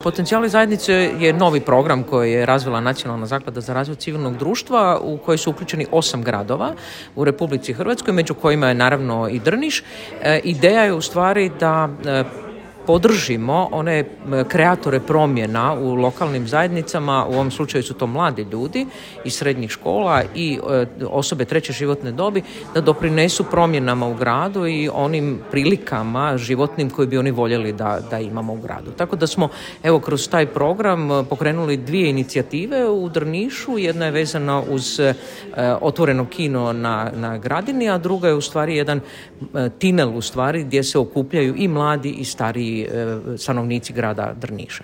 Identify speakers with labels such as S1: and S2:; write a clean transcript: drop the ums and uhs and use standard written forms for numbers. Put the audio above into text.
S1: Potencijali zajednice je novi program koji je razvila Nacionalna zaklada za razvoj civilnog društva u koji su uključeni 8 gradova u Republici Hrvatskoj, među kojima je naravno i Drniš. Ideja je u stvari da podržimo one kreatore promjena u lokalnim zajednicama, u ovom slučaju su to mladi ljudi iz srednjih škola i osobe treće životne dobi, da doprinesu promjenama u gradu i onim prilikama životnim koje bi oni voljeli da imamo u gradu. Tako da smo kroz taj program pokrenuli 2 inicijative u Drnišu. Jedna je vezana uz otvoreno kino na Gradini, a druga je u stvari jedan tinel gdje se okupljaju i mladi i stariji stanovnici grada Drniša.